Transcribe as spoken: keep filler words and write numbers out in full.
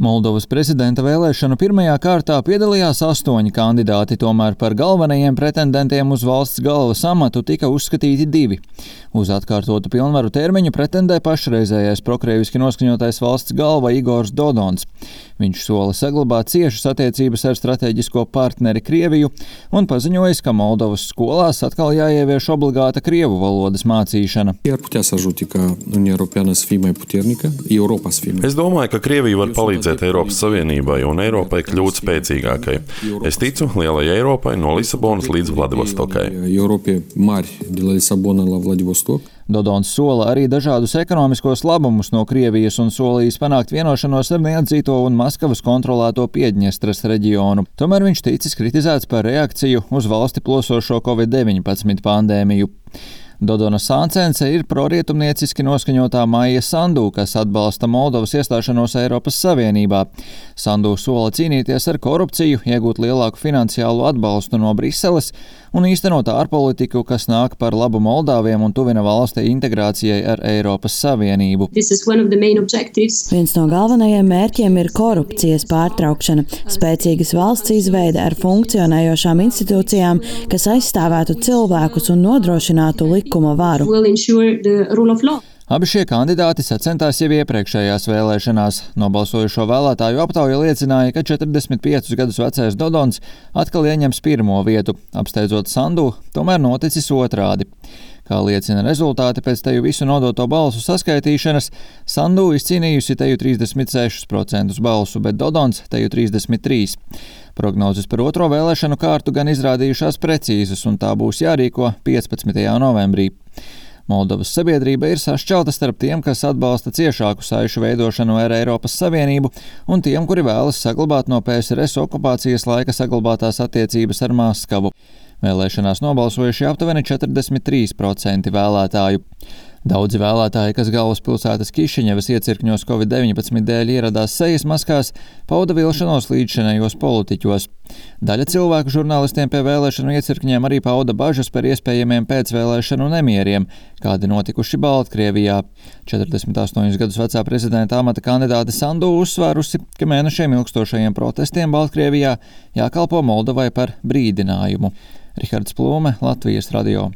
Moldovas prezidenta vēlēšanu pirmajā kārtā piedalījās astoņi kandidāti, tomēr par galvenajiem pretendentiem uz valsts galvas amatu tika uzskatīti divi. Uz atkārtotu pilnvaru termiņu pretendē pašreizējais prokrieviski noskaņotais valsts galva Igors Dodons. Viņš sola saglabāt ciešas attiecības ar strateģisko partneri Krieviju un paziņojis, ka Moldovas skolās atkal jāievieš obligāta krievu valodas mācīšana. Es domāju, ka Krievija var palīdzēt Eiropas Savienībai un Eiropai kļūt spēcīgākai. Es ticu lielai Eiropai no Lisabonas līdz Vladivostokai. Dodons sola arī dažādus ekonomiskos labumus no Krievijas un solījis panākt vienošanos ar neatzīto un Maskavas kontrolēto Piedņestras reģionu. Tomēr viņš ticis kritizēts par reakciju uz valsti plosošo covid deviņpadsmit pandēmiju. Dodona Sāncence ir prorietumnieciski noskaņotā Maija Sandu, kas atbalsta Moldovas iestāšanos Eiropas Savienībā. Sandu sola cīnīties ar korupciju, iegūt lielāku finansiālu atbalstu no Briseles un īstenot ārpolitiku, kas nāk par labu Moldāviem un tuvina valsti integrācijai ar Eiropas Savienību. Viens no galvenajiem mērķiem ir korupcijas pārtraukšana, spēcīgas valsts izveide ar funkcionējošām institūcijām, kas aizstāvētu cilvēkus un nodrošinātu likuma varu. Abi šie kandidāti sacentās jau iepriekšējās vēlēšanās. Nobalsojušo vēlētāju aptauja liecināja, ka četrdesmit piecus gadus vecais Dodons atkal ieņems pirmo vietu, apsteidzot Sandu, tomēr noticis otrādi. Kā liecina rezultāti pēc teju visu nodoto balsu saskaitīšanas, Sandu izcīnījusi teju trīsdesmit sešus procentus balsu, bet Dodons teju trīsdesmit trīs. Prognozes par otro vēlēšanu kārtu gan izrādījušās precīzas, un tā būs jārīko piecpadsmitajā novembrī. Moldovas sabiedrība ir sašķelta starp tiem, kas atbalsta ciešāku saišu veidošanu ar Eiropas Savienību, un tiem, kuri vēlas saglabāt no P S R S okupācijas laika saglabātās attiecības ar Maskavu. Vēlēšanās nobalsojuši aptuveni četrdesmit trīs procenti vēlētāju. Daudzi vēlētāji, kas galvaspilsētas Kišiņevas iecirkņos covid deviņpadsmit dēļ ieradās sejas maskās, pauda vilšanos līdzšinējos politiķos. Daļa cilvēku žurnālistiem pie vēlēšanu iecirkņiem arī pauda bažas par iespējamiem pēcvēlēšanu nemieriem, kādi notikuši Baltkrievijā. četrdesmit astoņus gadus vecā prezidenta amata kandidāte Sandu uzsvērusi, ka mēnešiem ilgstošajiem protestiem Baltkrievijā jākalpo Moldovai par brīdinājumu. Rihards Plūme, Latvijas radio.